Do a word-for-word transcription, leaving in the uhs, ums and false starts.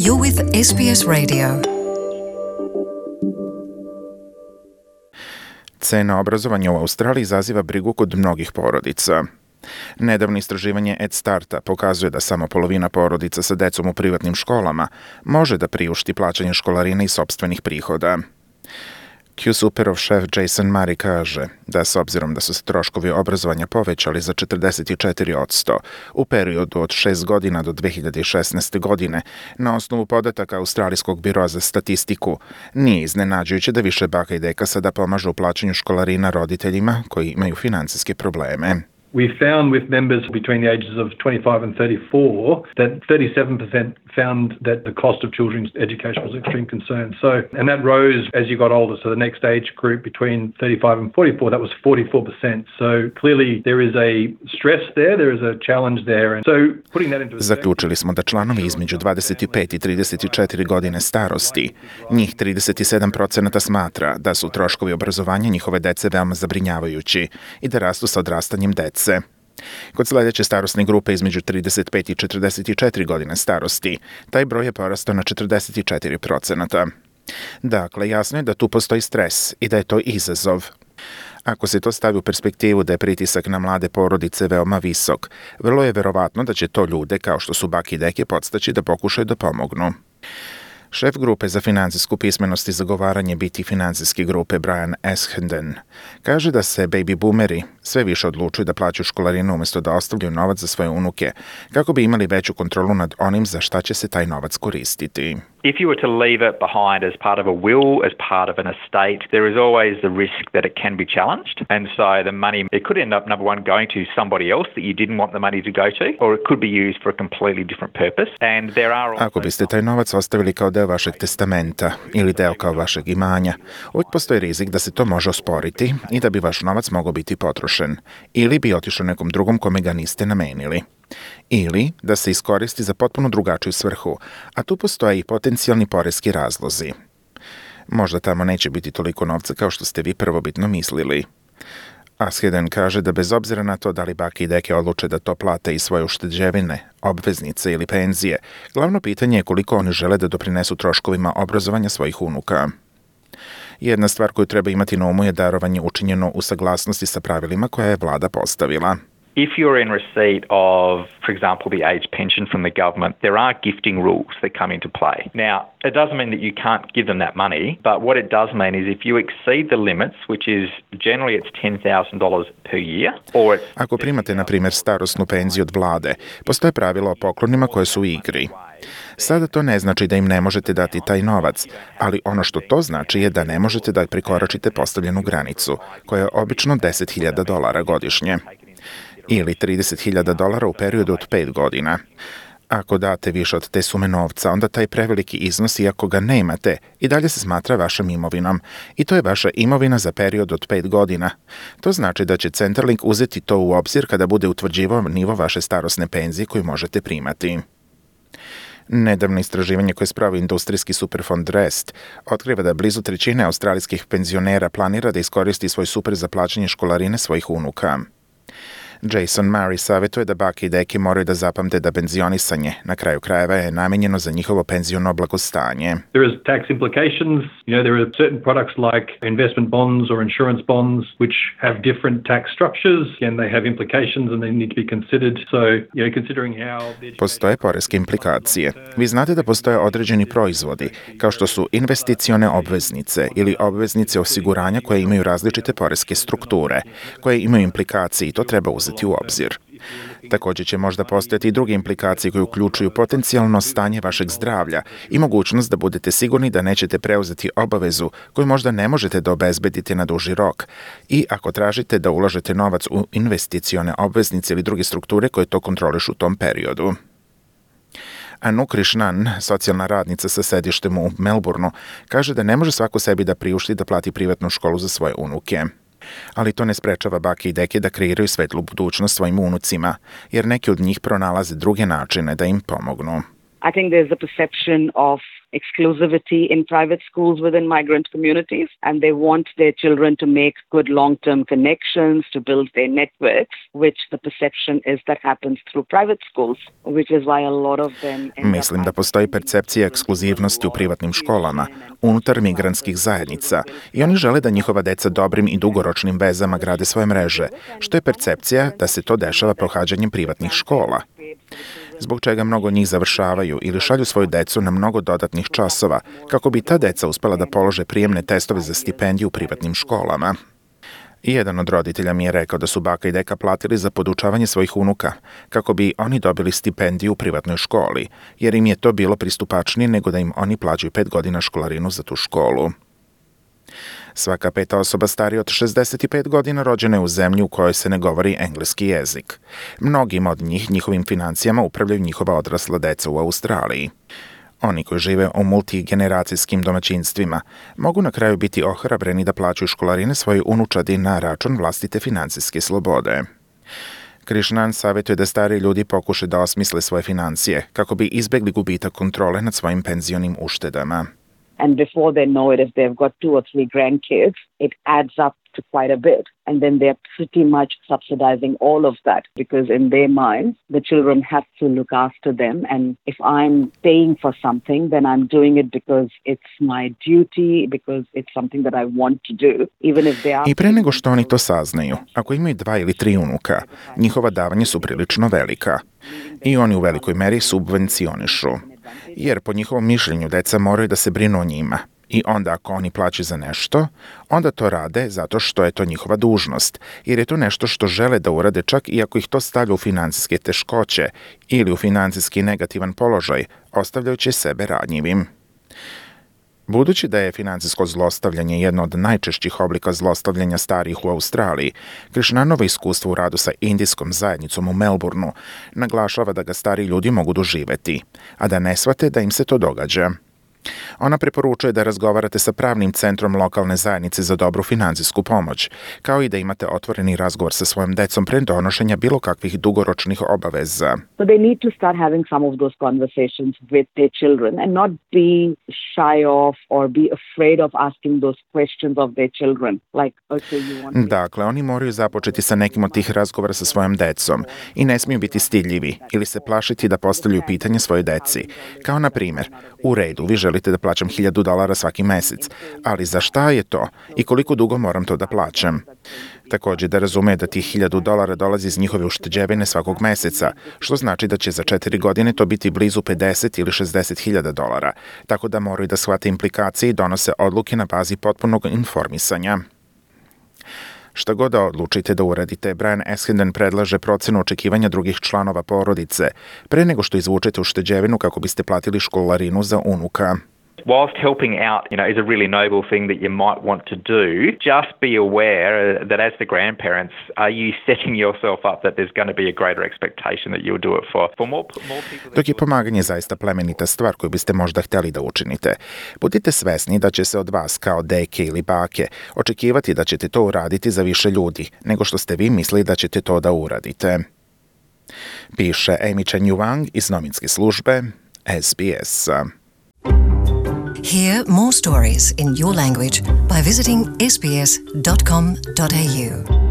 You're with S B S Radio. Cena obrazovanja u Australiji izaziva brigu kod mnogih porodica. Nedavno istraživanje EdStarta pokazuje da samo polovina porodica sa decom u privatnim školama može da priušti plaćanje školarine iz sopstvenih prihoda. Q-Superov šef Jason Murray kaže da s obzirom da su se troškovi obrazovanja povećali za četrdeset četiri posto u periodu od šest godina do dve hiljade šesnaeste. godine, na osnovu podataka Australijskog biroa za statistiku, nije iznenađujuće da više baka i deka sada pomažu u plaćanju školarina roditeljima koji imaju financijske probleme. We found with members between the ages of twenty-five and thirty-four that thirty-seven percent found that the cost of children's education was an extreme concern. So, and that rose as you got older. So the next age group between thirty-five and forty-four, that was forty-four percent. So clearly there is a stress there, there is a challenge there. And so putting that into Zaključili smo da članovi između dvadeset pet i trideset četiri godine starosti, njih trideset sedam posto smatra da su troškovi obrazovanja njihove dece veoma zabrinjavajući i da rastu sa odrastanjem dece. Kod sledeće starosne grupe između trideset pet i četrdeset četiri godine starosti, taj broj je porastao na četrdeset četiri posto. Dakle, jasno je da tu postoji stres i da je to izazov. Ako se to stavi u perspektivu da je pritisak na mlade porodice veoma visok, vrlo je verovatno da će to ljude, kao što su bake i deke, podstaći da pokušaju da pomognu. Šef grupe za financijsku pismenost i zagovaranje biti financijske grupe Brian Eshendon kaže da se baby boomeri sve više odlučuju da plaćaju školarinu umjesto da ostavljaju novac za svoje unuke, kako bi imali veću kontrolu nad onim za šta će se taj novac koristiti. If you were to leave it behind as part of a will, as part of an estate, there is always the risk that it can be challenged. And so the money, it could end up, number one, going to somebody else that you didn't want the money to go to, or it could be used for a completely different purpose. And there are also... Ako biste taj novac ostavili kao deo vašeg testamenta ili deo kao vašeg imanja, uvijek postoji rizik da se to može osporiti i da bi vaš novac mogao biti potrošen, ili bi otišao nekom drugom kome ga niste namenili. Ili da se iskoristi za potpuno drugačiju svrhu, a tu postoje i potencijalni poreski razlozi. Možda tamo neće biti toliko novca kao što ste vi prvobitno mislili. Asheden kaže da bez obzira na to da li bake i deke odluče da to plate iz svoje ušteđevine, obveznice ili penzije, glavno pitanje je koliko oni žele da doprinesu troškovima obrazovanja svojih unuka. Jedna stvar koju treba imati na umu je darovanje učinjeno u saglasnosti sa pravilima koje je vlada postavila. If you're in receipt of, for example, the age pension from the government, there are gifting rules that come into play. Now, it doesn't mean that you can't give them that money, but what it does mean is if you exceed the limits, which is generally it's ten thousand dollars per year, or it's... Ako primate, na primjer, starosnu penziju od vlade, postoje pravila o poklonima koje su u igri. Sada to ne znači da im ne možete dati taj novac, ali ono što to znači je da ne možete da prekoračite postavljenu granicu, koja je obično deset hiljada dolara godišnje. Ili trideset hiljada dolara u periodu od pet godina. Ako date više od te sume novca, onda taj preveliki iznos, iako ga nemate, i dalje se smatra vašom imovinom. I to je vaša imovina za period od pet godina. To znači da će Centrelink uzeti to u obzir kada bude utvrđivao nivo vaše starosne penzije koju možete primati. Nedavno istraživanje koje spravi industrijski superfond Rest otkriva da blizu trećine australijskih penzionera planira da iskoristi svoj super za plaćanje školarine svojih unuka. Jason Murray savjetuje da bake i deke moraju da zapamte da penzionisanje na kraju krajeva je namenjeno za njihovo penziono blagostanje. There is tax implications. You know, there are certain products like investment bonds or insurance bonds which have different tax structures and they have implications and they need to be considered. So, you know, considering how... Postoje poreske implikacije. Vi znate da postoje određeni proizvodi, kao što su investicione obveznice ili obveznice osiguranja koje imaju različite poreske strukture, koje imaju implikacije i to treba uzeti u obzir. Također će možda postojati i druge implikacije koje uključuju potencijalno stanje vašeg zdravlja i mogućnost da budete sigurni da nećete preuzeti obavezu koju možda ne možete da obezbedite na duži rok i ako tražite da ulažete novac u investicione obveznice ili druge strukture koje to kontrolišu u tom periodu. Anu Krishnan, socijalna radnica sa sedištem u Melbourneu, kaže da ne može svako sebi da priušti da plati privatnu školu za svoje unuke. Ali to ne sprečava bake i deke da kreiraju svetlu budućnost svojim unucima, jer neki od njih pronalaze druge načine da im pomognu. I think there's a perception of exclusivity in private schools within migrant communities, and they want their children to make good long-term connections, to build their networks, which the perception is that happens through private schools, which is why a lot of them end up... Mislim da postoji percepcija ekskluzivnosti u privatnim školama, unutar migrantskih zajednica, i oni žele da njihova deca dobrim i dugoročnim vezama grade svoje mreže, što je percepcija da se to dešava pohađanjem privatnih škola, zbog čega mnogo njih završavaju ili šalju svoju decu na mnogo dodatnih časova, kako bi ta deca uspela da polože prijemne testove za stipendiju u privatnim školama. I jedan od roditelja mi je rekao da su baka i deka platili za podučavanje svojih unuka, kako bi oni dobili stipendiju u privatnoj školi, jer im je to bilo pristupačnije nego da im oni plaćaju pet godina školarinu za tu školu. Svaka peta osoba starija od šezdeset pet godina rođena je u zemlji u kojoj se ne govori engleski jezik. Mnogima od njih njihovim financijama upravljaju njihova odrasla deca u Australiji. Oni koji žive u multigeneracijskim domaćinstvima mogu na kraju biti ohrabreni da plaćaju školarine svojoj unučadi na račun vlastite financijske slobode. Krishnan savjetuje da stari ljudi pokušaju da osmisle svoje financije kako bi izbegli gubitak kontrole nad svojim penzionim uštedama. And before they know it, if they've got two or three grandkids, it adds up to quite a bit. And then they're pretty much subsidizing all of that because in their minds, the children have to look after them. And if I'm paying for something, then I'm doing it because it's my duty, because it's something that I want to do, even if they are... I pre nego što oni to saznaju, ako imaju dva ili tri unuka, njihova davanja su prilično velika. I oni u velikoj meri subvencionišu. Jer po njihovom mišljenju deca moraju da se brinu o njima. I onda ako oni plaćaju za nešto, onda to rade zato što je to njihova dužnost, jer je to nešto što žele da urade čak i ako ih to stavlja u financijske teškoće ili u financijski negativan položaj, ostavljajući sebe ranjivim. Budući da je financijsko zlostavljanje jedno od najčešćih oblika zlostavljanja starijih u Australiji, Krishnanovo iskustvo u radu sa indijskom zajednicom u Melbourneu naglašava da ga stari ljudi mogu doživeti, a da ne shvate da im se to događa. Ona preporučuje da razgovarate sa pravnim centrom lokalne zajednice za dobru financijsku pomoć, kao i da imate otvoreni razgovor sa svojom decom pre donošenja bilo kakvih dugoročnih obaveza. So they need to start having some of those conversations with their children and not be shy of or be afraid of asking those questions of their children. Like, okay, you want... Dakle, oni moraju započeti sa nekim od tih razgovora sa svojom decom i ne smiju biti stidljivi ili se plašiti da postavljaju pitanje svojoj deci. Kao na primjer, u redu, vi želite da plaćam hiljadu dolara svaki mesec, ali za šta je to i koliko dugo moram to da plaćam? Također da razume da tih hiljadu dolara dolazi iz njihove ušteđevine svakog meseca, što znači da će za četiri godine to biti blizu pedeset ili šezdeset hiljada dolara, tako da moraju da shvate implikacije i donose odluke na bazi potpunog informisanja. Šta god da odlučite da uradite, Brian Eskenden predlaže procenu očekivanja drugih članova porodice, pre nego što izvučete ušteđevinu kako biste platili školarinu za unuka. Whilst helping out, you know, is a really noble thing that you might want to do, just be aware that as the grandparents, are you setting yourself up that there's going to be a greater expectation that you'll do it for, for more, more people... Dok je pomaganje zaista plemenita stvar koju biste možda htjeli da učinite, budite svesni da će se od vas kao deke ili bake očekivati da ćete to uraditi za više ljudi, nego što ste vi mislili da ćete to da uradite. Piše Amy Chen Yuang iz novinske službe S B S. Hear more stories in your language by visiting s b s dot com dot a u.